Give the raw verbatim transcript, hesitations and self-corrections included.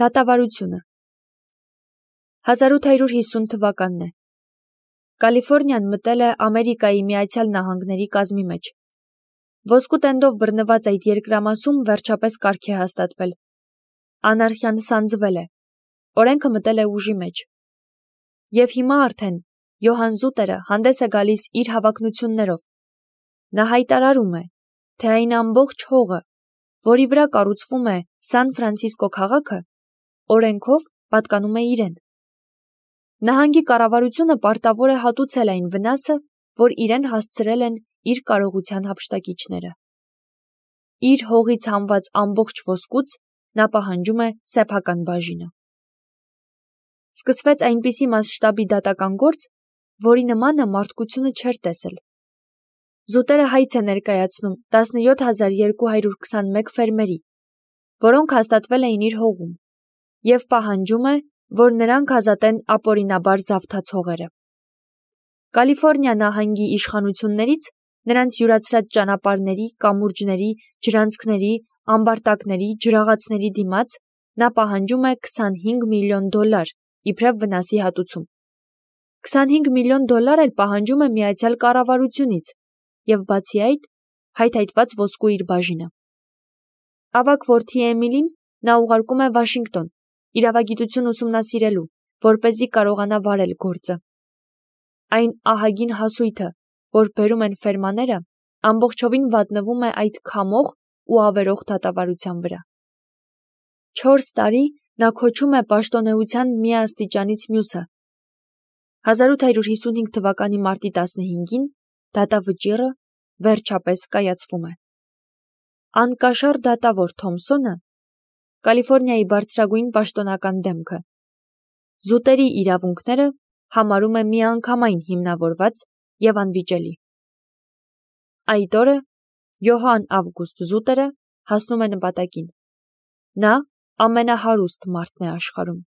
Դատավարությունը հազար ութ հարյուր հիսուն թվականն է։ Կալիֆորնիան մտել է Ամերիկայի Միացյալ Նահանգների կազմի մեջ։ Ոսկու տենդով բռնված այդ երկրամասում վերջապես կարգ է հաստատվել։ Անարխիան սանձվել է։ Օրենքը մտել է ուժի մեջ։ Եվ հիմա արդեն Յոհան Զուտերը հանդես է գալիս իր հավակնություններով։ Նա հայտարարում է, թե այն ամբողջ հողը, որի վրա կառուցվում է Սան Ֆրանցիսկո քաղաքը, օրենքով պատկանում է իրեն։ Նահանգի կառավարությունը պարտավոր է հատուցել այն վնասը, որ իրեն հասցրել են իր կարողության հափշտակիչները։ Իր հողից հանված ամբողջ ոսկուց նա պահանջում է սեփական բաժինը։ Սկսվեց այնպիսի մասշտաբի դատական գործ, որի նմանը մարդկությունը չէր տեսել։ Զուտերը հայց է ներկայացնում տասնյոթ հազար երկու հարյուր քսանմեկ ֆերմերի, որոնք հաստատվել էին իր հողում, և պահանջում է, որ նրանք ազատեն ապօրինաբար զավթած հողերը։ Կալիֆորնիա նահանգի իշխանություններից նրանց յուրացրած ճանապարհների, կամուրջների, ջրանցքների, ամբարտակների, ջրաղացների դիմաց նա պահանջում է քսանհինգ միլիոն դոլար իբրև վնասի հատուցում։ քսանհինգ միլիոն դոլար էլ պահանջում է միացյալ կառավարությունից և բացի այդ հայթայթված ոսկու իր բաժինը։ Ավագ որդի Էմիլին նա ուղարկում է Վաշինգտոն իրավագիտություն ուսումնասիրելու, որպեսզի կարողանա վարել գործը։ Այն ահագին հասույթը, որ բերում են ֆերմաները, ամբողջովին վատնվում է այդ քամող ու ավերող դատավարության վրա։ Չորս տարի նա քոչում է պաշտոնեության մի աստիճանից մյուսը։ հազար ութ հարյուր հիսունհինգ թվականի մարտի տասնհինգին դատավճիռը վերջապես կայացվում է։ Անկաշար դատավոր Թոմսոնը Կալիֆորնիայի բարձրագույն պաշտոնական դեմքը զուտերի իրավունքները համարում է միանգամայն հիմնավորված և անվիճելի։ Այդ օրը Յոհան Ավգուստ Զուտերը հասնում է նպատակին։ Նա ամենահարուստ մարդն է աշխարհում։